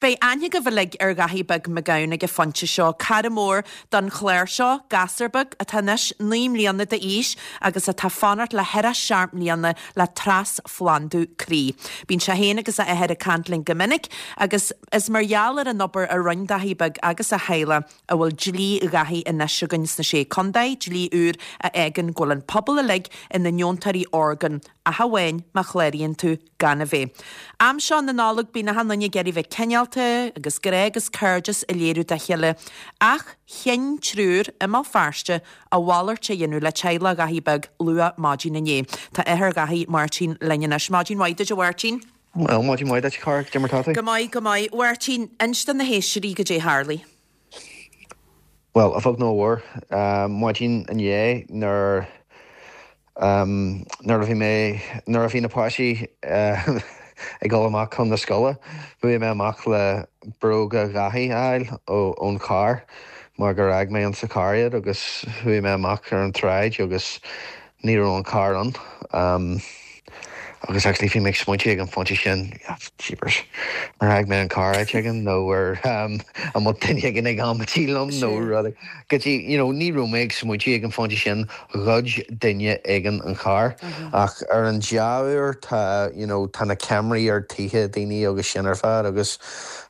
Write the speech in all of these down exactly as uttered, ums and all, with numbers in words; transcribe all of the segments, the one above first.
Beidh aithne agaibh uilig ar Dhaithí Beag Mac Gabhann ag an phointe seo, cara mór don chlár seo, gasúr beag atá anois naoi mbliana d'aois agus atá ag fanacht le hithe seacht mbliana le trasphlandú croí. Bíonn sé féin agus a athair ag caint linn go minic agus is mar gheall ar an obair a rinne Daithí Beag agus a theaghlach a bhfuil dlí Dhaithí anois againn sna sé contae, dlí úr a fhágann go bhfuil an pobal uilig ina ndeontóirí orgán ach amháin má chláraíonn tú gan a bheith. Am seo na Nollag bíonn achan duine ag iarraidh bheith cineálta agus grá agus cairdeas a léiriú dá chéile, ach chinn triúr i mBéal Feirste a mhalairt a dhéanamh le teaghlach Dhaithí Beag luath maidin inné. Tá athair Dhaithí Máirtín linn anois. Maidin mhaith duit a Mháirtín. Well, maidin mhaith duit Cara, cad é mar tá tú? Go maith go maith. Mháirtín, inis do na héisteoirí cad é a tharla. Well, a bheag nó a mhór, maidin inné nuair um, nuair a bhí mé nuair a bhí na páistí uh, ag dul amach chun na scoile, chuaigh mé amach le bróga Dhaithí a fháil ón charr mar gur fhág mé an sa charr iad agus chuaigh mé amach ar an tsráid agus ní raibh an carr ann. Um, agus actually bhí mé ag smaointiú ag an phointe sin jeepers ar fhág mé an carr áit éigin nó ar um, an bhfuil duine éigin ag amaidí liom nó rud go dtí you know, ní raibh mé ag smaointiú ag an phointe sin ghoid duine éigin an carr ach ar an dea-uair tá you know, tá na ceamaraí ar tithe daoine agus sin ar fad agus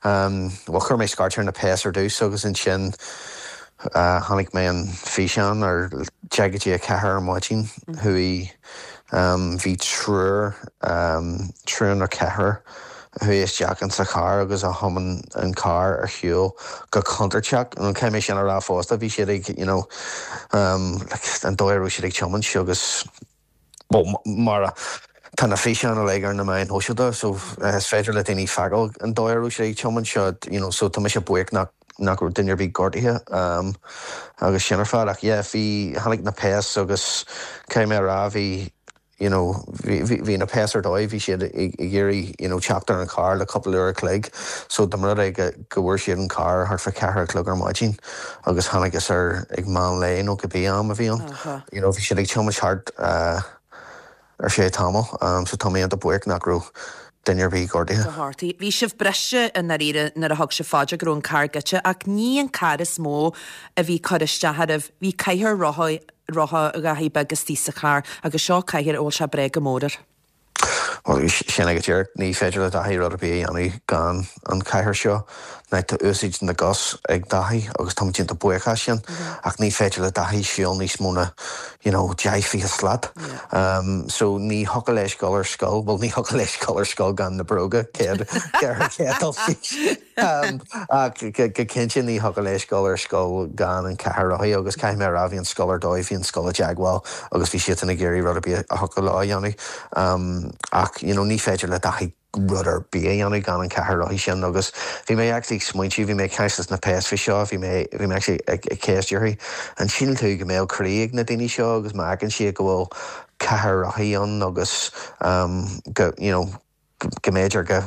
um, well, chuir mé scairt ar na péas ar dtús agus ansin uh, chonaic mé an físeán ar deich go dtí a ceathair ar maidin chuaigh um, bhí triúr um, triúr nó ceathrar chuaigh isteach in sa charr agus a thiomáin an carr ar shiúl go contúirteach an cé sin a rá fosta bhí siad ag you know, um, like, an dóigh a raibh siad ag tiomáint agus well, mar tá na físeáin uilig ar na meáin shóisialta so uh, is féidir le daoine feiceáil an dóigh a raibh siad ag tiomáint seo you know, so tá mise buíoch nach nach raibh duine ar bith gortaithe um, agus sin ar fad ach yeah, bhí tháinig na péas agus cé mé rá bhí you know, bhí na péas ar dóigh bhí siad ag iarraidh you know, teacht ar an carr le cúpla uair a chloig, so dá mba rud é go go bhfuair siad an carr thart fá ceathair a chlog ar maidin agus tháinig is ar ag meán lae nó cibé am a bhí ann. You know, bhí siad ag tiomáint thart uh, ar sé tamall, um, so tá mé an-bhuíoch nach raibh duine ar bith gortaithe. Go Bhí sibh briste i ndáiríre nuair a thug sibh faoi deara go raibh an carr goidte ach ní an carr is mó a bhí cur isteach oraibh, bhí cathaoir rotha rotha Dhaithí Beag istigh sa charr agus seo cathaoir a bhfuil sé breá go mór air. Well, sin ag deireadh ní féidir le Daithí rud ar bith a dhéanamh gan an cathaoir seo ná tá úsáid na gcos ag Daithí agus tá déanta buíochas sin ach ní féidir le Daithí siúl níos mó ná you know, deich fiche slat. Um, so ní thiocfadh leis dul ar scoil, well ní thiocfadh leis dul ar scoil gan na bróga céad um, ach go cinnte ní thiocfadh leis dul ar scoil gan an cathaoir rothaí agus caithfidh mé a rá bhí an scoil ar dóigh bhí an scoil i dteagmháil agus bhí siad ag iarraidh rud ar bith a thiocfadh leo a dhéanamh. Um, ach you know, ní féidir le Daithí rud ar bith a dhéanamh gan an cathaoir rothaí sin agus bhí mé actually ag smaointiú bhí mé ag caint na péas faoi seo bhí mé bhí mé actually ag ag ceistiú an síleann tú go mbeadh croí ag na daoine seo agus má fheiceann siad go bhfuil cathaoir rothaí ann agus um, go you know, go go mb'fhéidir go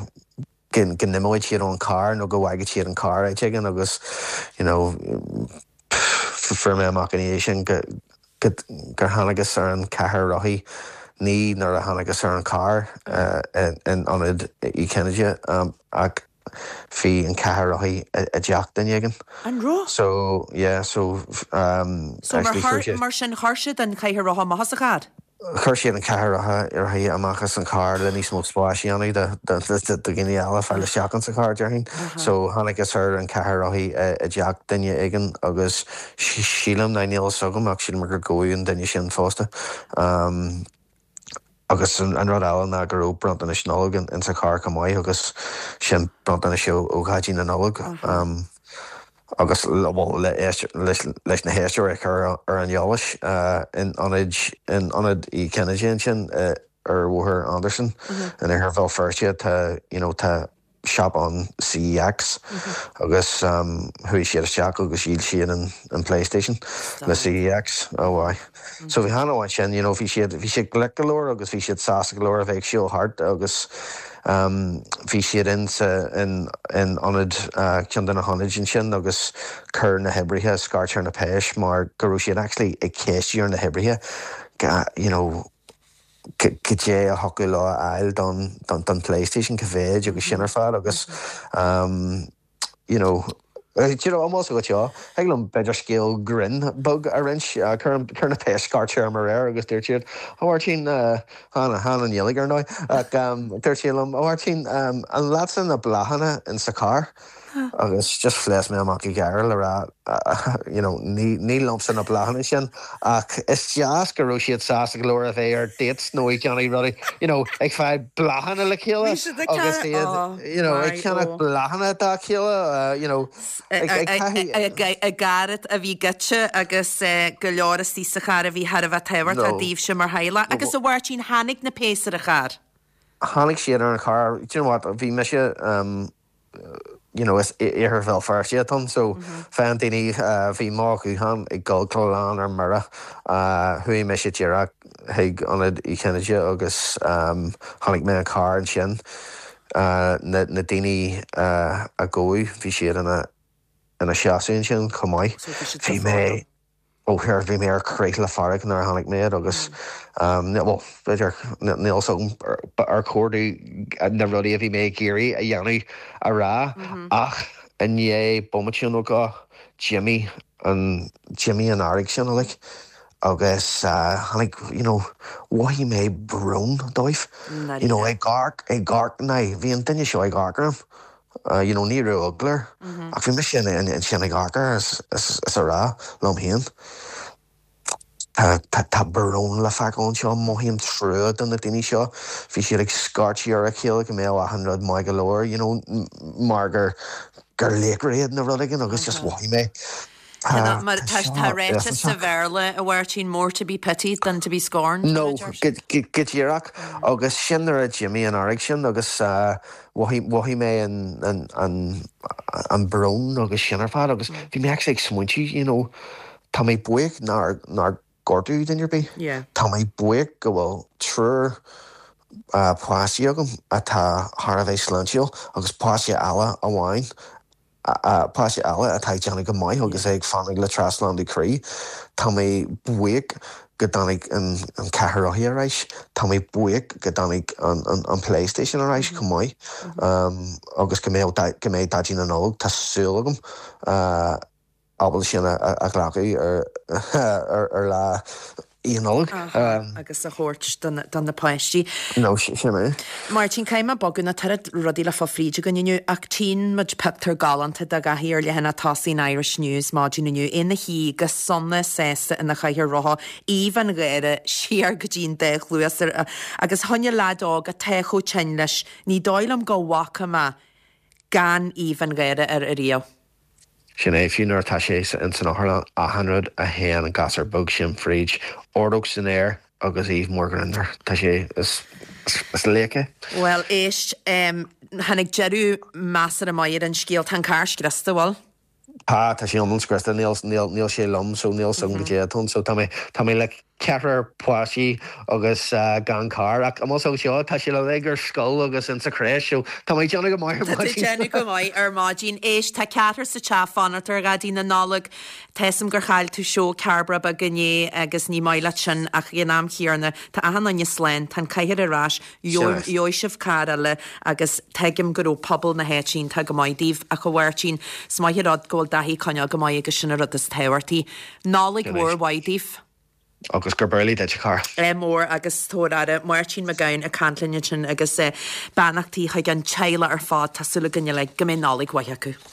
go go n-imeoidh siad ón carr nó go bhfágfaidh siad an carr áit éigin agus you know, fuair mé amach an sin go go gur thángthas ar an cathaoir rothaí ní nuair a thángthas ar an carr uh, in, in ionad Uí Chinnéide um, ach bhí an cathaoir rothaí i dteach duine éigin. An raibh? So yeah, so um, So mar, chur, mar sin chuir siad an cathaoir rotha amach as an charr? Chuir siad an cathaoir rothaí amach as an carr le níos mó spáis a dhéanamh do dhaoine eile fáil isteach sa charr déarfainn. So thángthas ar an cathaoir rothaí i dteach duine éigin agus sílim ná níl agam ach sílim gur gabhadh an duine sin fosta. Um, agus an, an rud eile ná go raibh bronntanais Nollag in, in sa charr chomh maith agus sin bronntanais ó ó Dhaidí na Nollag. Um, agus le, well, le, leis, leis na héisteoirí chur ar an eolas uh, in ionad in ionad Uí Chinnéide sin uh, ar Bhóthar Anderson mm -hmm. in Iarthar Bhéal Feirste tá you know, tá shop an CEX mm -hmm. agus um, chuaigh siad isteach agus dhíol siad an, an PlayStation le CEX ó oh, mm -hmm. So bhí hana sin you know, bhí siad bhí siad glic go leor agus bhí siad sásta go leor a bheith ag siúl thart agus um, bhí siad in sa in in ionad uh, ceann de na hionaid ansin agus chuir na hoibrithe scairt ar na péis mar go raibh siad actually ag ceistiú na hoibrithe you know, cad é a thiocfadh leo a fháil don don don PlayStation cá mhéad agus sin ar fad agus um, you know, do you know, almost go seo Thig liom b'fhéidir scéal grinn beag a roinnt chuir na péas scairt orm aréir agus dúirt siad a Mháirtín chan chan an Ghaeilge ar ndóigh ach dúirt siad liom a Mháirtín an leatsa na bláthanna in sa carr agus just phléasc mé amach ag gáire le rá you know, ní ní liomsa na bláthanna sin ach is deas go raibh siad sásta go leor a bheith ar dates nó ag déanamh rudaí you know, ag fáil bláthanna le chéile agus iad you know, ag ceannach bláthanna dá chéile uh, you know, a gcairde a bhí goite agus go leor istigh sa charr a bhí thar a bheith tábhachtach daoibhse mar theaghlach agus a Mháirtín tháinig na péas ar an charr. Tháinig siad ar an charr, do you know what, bhí mise um, you know, is iarthar Bhéal Feirste atá ann so fan daoine bhí mo ghuthán ag dul glan ar mire chuaigh mise díreach chuig ionad Uí Chinnéide agus um, tháinig mé an carr ansin uh, na, na daoine uh, a gabhadh bhí siad ina ina seasamh ansin chomh maith. Bhí mé ó here bhí mé ar crith le fearg nuair a tháinig mé agus um, well, b'fhéidir níl ar chóir domh na rudaí a bhí mé ag iarraidh a dhéanamh a rá ach i ndiaidh bomaite nó dhó d'imigh an d'imigh an fhearg sin uilig agus uh, tháinig you know, mhothaigh mé brón dóibh you know, ag amharc ag amharc ná bhí an duine seo ag amharc orm. Uh, you know, ní raibh eagla air ach bhí mise sin ag amharc air is, is, is a rá liom féin. Tá tá tá brón le feiceáil anseo mothaím trua do na daoine seo, bhí siad ag scairteadh ar a chéile go mbeadh achan rud maith go leor, you know, mar gur gur laochra iad nó rud éigin agus just mhothaigh mé. Mar tá tá ráite sa Bhéarla a Mháirtín more to be pitied than to be scorned. No, go díreach agus sin nuair a d'imigh an fhearg sin agus uh, mhothaigh mé an, an, an, an brón agus sin ar fad agus bhí mé ag smaointiú you know, tá mé buíoch nár nár gortaíodh duine ar bith. Yeah. Tá mé buíoch go bhfuil triúr uh, páistí agam atá thar a bheith sláintiúil agus páiste eile amháin páiste eile atá ag déanamh go maith agus é ag fanacht le trasphlandú croí. Tá mé buíoch go dtáinig an, an ceathair rothaí ar ais, Tá mé buíoch go dtáinig an, an, an PlayStation ar ais chomh maith um, agus go mbeidh go mbeidh Daidí na Nollag tá súil agam uh, ábalta sin a, a, a ghlacadh ar, ar, ar lá Oíche Nollag. Um, agus a thabhairt don na páistí. No sin é. Máirtín caithfidh mé bogadh na tar rudaí le fá fríd againn inniu ach tchíonn muid pictiúr galánta de Dhaithí ar leathanach tosaigh an Irish News maidin inniu ina shuí go sona sásta ina chathaoir rotha aoibh an gháire siar go dtí'n dá chluas agus choinne leaid óg atá chomh tinn leis ní dóigh liom go bhfaca mé gan aoibh an gháire air ariamh. Sin é fiú nuair atá sé in san otharlann achan rud a théann an gasúr beag sin fríd ordóg san aer agus aoibh mór grinn air Tá sé is, is laoch é. Well éist um, tháinig deireadh measartha maith ar an scéal tá an carr scriosta bhfuil? Tá tá sé iomlán scriosta níl níl níl sé liom so níl san go dé so tá mé tá mé le ceathrar páistí agus uh, gan carr ach am seo tá sé le ag ar scoil agus in sa crèche so tá mé déanamh go maith ar maidin. Déanamh go maith ar maidin éist tá ceathrar sa teach fanacht ar Dhaidí na Nollag Táim gur chaill tú seó Cairbre beag inné agus ní maith leat sin ach in am chéanna tá achan duine slán tá an cathaoir ar ais gheobhaidh sibh carr eile agus tuigim go raibh pobal na háite iontach go maith daoibh ach a Mháirtín is maith an rud go bhfuil Daithí coinneáil go maith agus sin an rud is tábhachtaí. Nollaig mhór mhaith daoibh. agus gurb amhlaidh duit a chara. É mór agus tabhair aire Máirtín Mac Gabhann ag caint linn ansin agus beannachtaí chuig an teaghlach ar fad tá súil againn uilig go mbeidh Nollaig mhaith acu.